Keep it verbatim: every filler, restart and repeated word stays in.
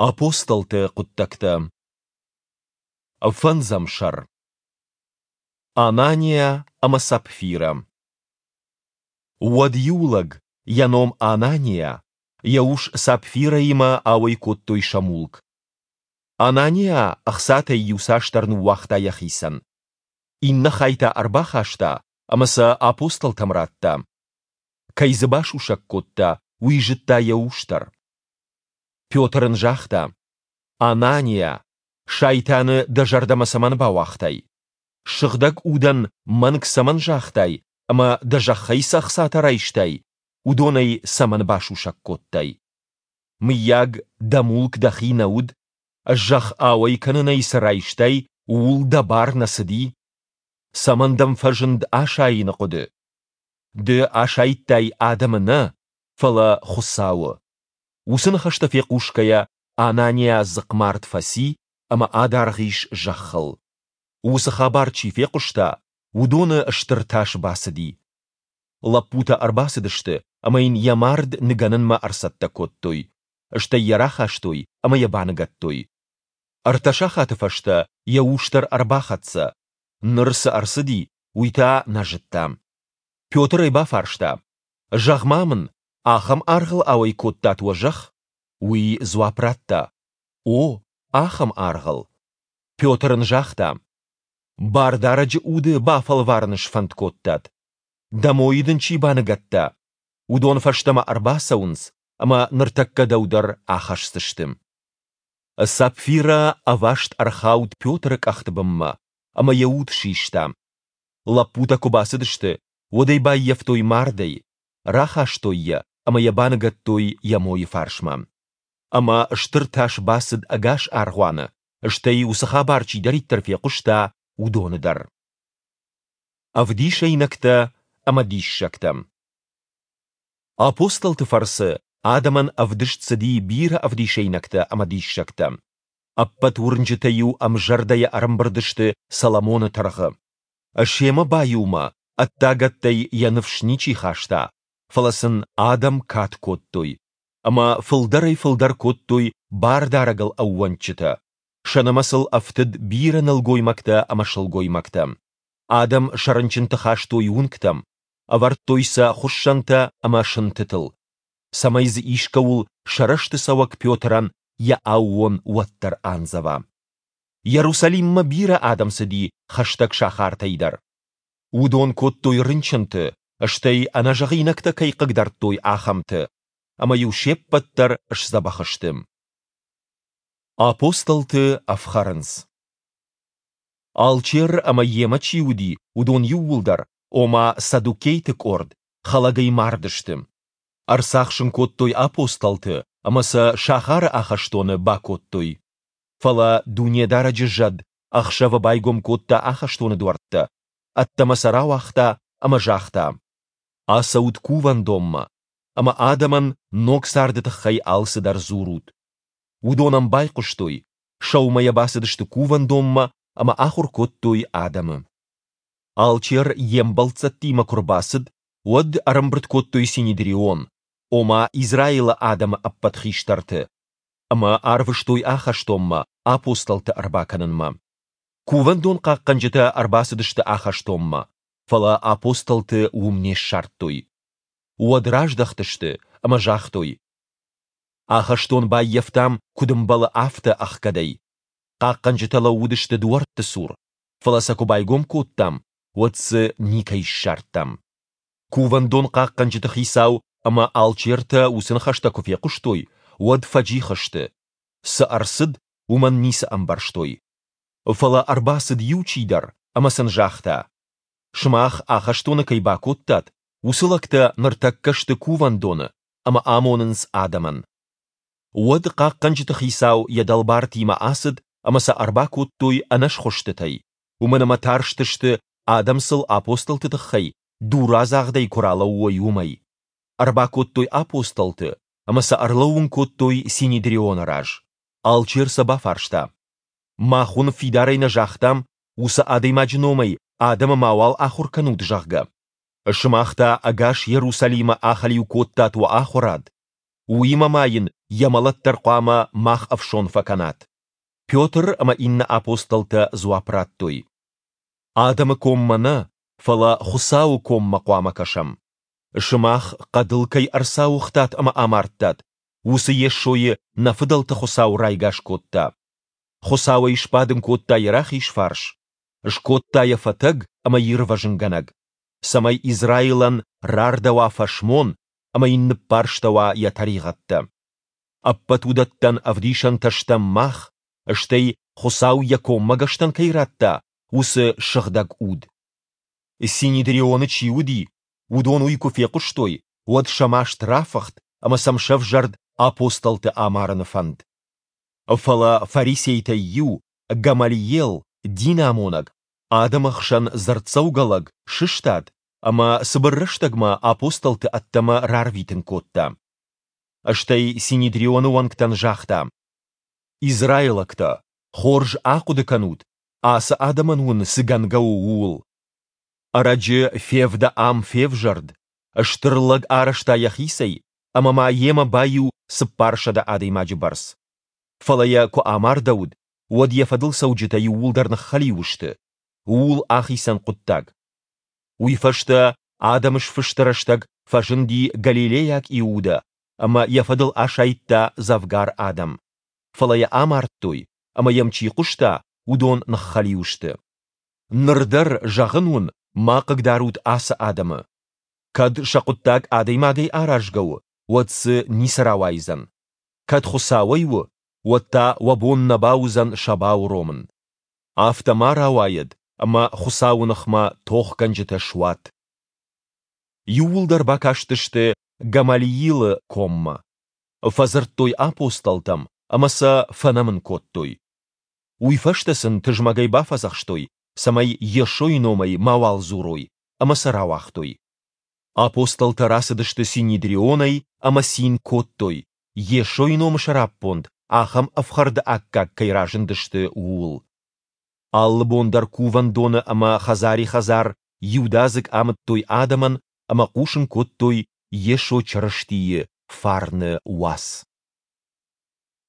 Апостолты хъуыддӕгтӕ. Фӕндзӕм сӕр. Ананиа ӕмӕ Сапфирӕ. Уӕд иу лӕг, йӕ ном Ананиа, йӕ ус Сапфирӕимӕ ауӕй кодтой сӕ мулк. Ананиа ӕхцатӕй иуцасдӕр ныууагъта йӕхицӕн. Иннӕ хай та ӕрбахаста ӕмӕ сӕ апостолтӕм радта. Кӕй дзы басусӕг кодта, уый зыдта йӕ ус дӕр. Петр ын загъта: Ананиа, Сайтаны дӕ зӕрдӕмӕ цӕмӕн бауагътай? Сыгъдӕг Удӕн мӕнг цӕмӕн загътай ӕмӕ дӕ зӕххӕй цы ӕхцатӕ райстай, уыдонӕй цӕмӕн басусӕг кодтай? Мыййаг, дӕ мулк дӕхи нӕ уыд? Зӕхх ауӕй кӕнынӕй цы райстай, ууыл дӕ бар нӕ цыди? Цӕмӕн дӕм фӕзынд асайыны хъуыды? Ды асайдтай адӕмы нӕ, фӕлӕ Хуыцауы. Уыцы ныхӕстӕ фехъусгӕйӕ, Ананиа дзыхъмард фӕци ӕмӕ адаргъ ис зӕххыл. Уыцы хабар чи фехъуыста, уыдоны стыр тас бацыди. Лӕппутӕ ӕрбацыдысты ӕмӕ йын йӕ мард ныгӕнынмӕ ӕрцӕттӕ кодтой, стӕй йӕ рахастой ӕмӕ йӕ баныгӕдтой. Ӕртӕ сахаты фӕстӕ йӕ ус дӕр ӕрбахӕццӕ. Ныр цы ӕрцыди, уый та нӕ зыдта. Петр ӕй бафарста: Зӕгъ-ма мын, ахӕм аргъыл ауӕй кодтат уӕ зӕхх? Уый дзуапп радта: О, ахӕм аргъыл. Петр ын загъта: Бардарӕджы уды бафӕлварын сфӕнд кодтат? Дӕ мойы дын чи баныгӕдта, уыдон фӕстӕмӕ ӕрбацӕуынц ӕмӕ ныртӕккӕ дӕу дӕр ахӕсдзысты. Сапфирӕ ӕваст ӕрхауд Петры къӕхты бынмӕ ӕмӕ йӕ уд систа. Лӕппутӕ куы бацыдысты, уӕд ӕй баййӕфтой мардӕй, рахастой йӕ ӕмӕ йӕ баныгӕдтой йӕ мойы фарсмӕ. Ӕмӕ стыр тас бацыд ӕгас аргъуаны, стӕй уыцы хабар чидӕриддӕр фехъуыста, уыдоны дӕр. Ӕвдисӕйнӕгтӕ ӕмӕ диссӕгтӕ. Апостолты фӕрцы адӕмӕн ӕвдыст цыди бирӕ ӕвдисӕйнӕгтӕ ӕмӕ диссӕгтӕ. Ӕппӕт уырнджытӕ-иу ӕмзӕрдӕйӕ ӕрӕмбырд сты Соломоны тыргъы. Семӕ баиумӕ ӕддагӕттӕй йӕ ныфс ничи хаста, фӕлӕ сын адӕм кад кодтой. Ӕмӕ фылдӕрӕй-фылдӕр кодтой Бардарӕгыл ӕууӕндджытӕ, сӕ нымӕцыл ӕфтыд бирӕ нӕлгоймӕгтӕ ӕмӕ сылгоймӕгтӕ. Адӕм сӕ рынчынты хастой уынгтӕм, ӕвӕрдтой сӕ хуыссӕнтӕ ӕмӕ сынтытыл, цӕмӕй дзы искӕуыл сӕ рӕзты цӕуӕг Петрӕн йӕ аууон уӕддӕр андзӕва. Иерусалиммӕ бирӕ адӕм цыди хӕстӕг сахартӕй дӕр. Уыдон кодтой рынчынты, стӕй ӕнӕзӕгъинӕгтӕ кӕй хъыгдардтой, ахӕмты, ӕмӕ-иу се ппӕт дӕр сдзӕбӕх сты. Апостолты ӕфхӕрынц. Алчер ӕмӕ йемӕ чи уыди, уыдон иууылдӕр, ома саддукейты къорд, хӕлӕгӕй мардысты. Ӕрцахсын кодтой апостолты ӕмӕ сӕ сахары ахӕстоны бакодтой. Фӕлӕ Дунедарӕджы зӕд ӕхсӕвы байгом кодта ахӕстоны дуӕрттӕ, ӕддӕмӕ сӕ рауагъта ӕмӕ загъта: Ацӕут кувӕндонмӕ ӕмӕ адӕмӕн ног царды тыххӕй алцыдӕр дзурут. Уыдон ӕм байхъуыстой, сӕумӕйӕ бацыдысты кувӕндонмӕ ӕмӕ ахуыр кодтой адӕмы. Алчер йе мбӕлццӕттимӕ куы рбацыд, уӕд ӕрӕмбырд кодтой Синедрион, ома Израилы адӕмы ӕппӕт хистӕрты, ӕмӕ арвыстой ахӕстонмӕ апостолты ӕрбакӕнынмӕ. Кувӕндон хъахъхъӕнджытӕ ӕрбацыдысты ахӕстонмӕ, фӕлӕ апостолты уым не ссардтой. Уӕд раздӕхтысты ӕмӕ загътой: Ахӕстон баййӕфтам, куыд ӕмбӕлы, афтӕ ӕхгӕдӕй. Хъахъхъӕнджытӕ лӕууыдысты дуӕртты цур, фӕлӕ сӕ куы байгом кодтам, уӕд дзы никӕй ссардтам. Кувӕндон хъахъхъӕнджыты хицау ӕмӕ алчертӕ уыцы ныхӕстӕ куы фехъуыстой, уӕд фӕджих сты. Цы ӕрцыд, уымӕн ницы ӕмбӕрстой. Фӕлӕ ӕрбацыд иу чидӕр ӕмӕ сын загъта: Сымах ахӕстоны кӕй бакодтат, уыцы лӕгтӕ ныртӕккӕ сты кувӕндоны ӕмӕ амонынц адӕмӕн. Уӕд хъахъхъӕнджыты хицау йӕ дӕлбартимӕ ацыд ӕмӕ сӕ ӕрбакодтой ӕнӕсхуыстытӕй, уымӕн ӕмӕ тарстысты, адӕм сыл апостолты тыххӕй дурадзагъдӕй куы ралӕууой, уымӕй. Ӕрбакодтой апостолты ӕмӕ сӕ ӕрлӕууын кодтой Синедрионы раз. Алчер сӕ бафарста: Мах уын фидарӕй нӕ загътам, уыцы адӕймаджы номӕй адӕмы мауал ахуыр кӕнут, зӕгъгӕ? Сымах та ӕгас Иерусалимы ахӕлиу кодтат уӕ ахуырад. Уыимӕ ма йын йӕ мӕлӕт дӕр хъуамӕ мах ӕфсон фӕкӕнат? Петр ӕмӕ иннӕ апостолтӕ дзуапп радтой: Адӕмы коммӕ нӕ, фӕлӕ Хуыцауы коммӕ хъуамӕ кӕсӕм. Сымах хъӕдыл кӕй ӕрцауыгътат ӕмӕ амардтат, уыцы Йесойы нӕ фыдӕлты Хуыцау райгас кодта. Хуыцау ӕй сбадын кодта йӕ рахиз фарс, скодта йӕ фӕтӕг ӕмӕ ирвӕзынгӕнӕг, цӕмӕй Израилӕн рардӕуа фӕсмон ӕмӕ йын ныббарстӕуа йӕ тӕригъӕдтӕ. Ӕппӕт уыдӕттӕн ӕвдисӕнтӕ стӕм мах, стӕй Хуыцау йӕ коммӕгӕстӕн кӕй радта, уыцы Сыгъдӕг Уд. Синедрионы чи уыди, уыдон уый куы фехъуыстой, уӕд сӕ маст рафыхт ӕмӕ сӕм сӕвзӕрд апостолты амарыны фӕнд. Фӕлӕ фарисейтӕй иу, Гамалиел, динамонӕг, адӕмы хсӕн дзырддзӕугӕ лӕг, сыстад ӕмӕ цыбыр рӕстӕгмӕ апостолты ӕддӕмӕ рарвитын кодта. Стӕй Синедрионы уӕнгтӕн загъта: Израилӕгтӕ, хорз ахъуыды кӕнут, ацы адӕмӕн уын цы гӕнгӕ у, ууыл. Ӕрӕджы Февдӕ ам февзӕрд, стыр лӕг арӕзта йӕхицӕй, ӕмӕ ма йемӕ баиу цыппарсӕдӕ адӕймаджы бӕрц. Фӕлӕ йӕ куы амардӕуыд, уӕд йӕ фӕдыл цӕуджытӕ иууылдӕр ныххӕлиу сты. Ууыл ахицӕн хъуыддаг. Уый фӕстӕ адӕмы сфысты рӕстӕг фӕзынди галилейаг Иудӕ ӕмӕ йӕ фӕдыл асайдта дзӕвгар адӕм. Фӕлӕ йӕ амардтой, ӕмӕ йӕм чи хъуыста, уыдон ныххӕлиу сты. Ныр дӕр, зӕгъын уын, ма хъыгдарут ацы адӕмы. Кӕд сӕ хъуыддаг адӕймагӕй аразгӕ у, уӕд дзы ницы рауайдзӕн. Кӕд Хуыцауӕй у, уӕд та уӕ бон нӕ бауыдзӕн сӕ бауромын. Афтӕ ма рауайӕд, ӕмӕ Хуыцауы ныхмӕ тохгӕнджытӕ суат. Иууылдӕр бакастысты Гамалиилы коммӕ. Фӕдзырдтой апостолтӕм ӕмӕ сӕ фӕнӕмын кодтой. Уый фӕстӕ сын тызмӕгӕй бафӕдзӕхстой, цӕмӕй Йесойы номӕй мауал дзурой, ӕмӕ сӕ рауагътой. Апостолтӕ рацыдысты Синедрионӕй ӕмӕ цин кодтой, Йесойы номы сӕраппонд ахӕм ӕфхӕрды аккаг кӕй разындысты, ууыл. Алы бон дӕр кувӕндоны ӕмӕ хӕдзари-хӕдзар иудадзыг амыдтой адӕмӕн ӕмӕ хъусын кодтой Йесо Чырыстийы фарны уац.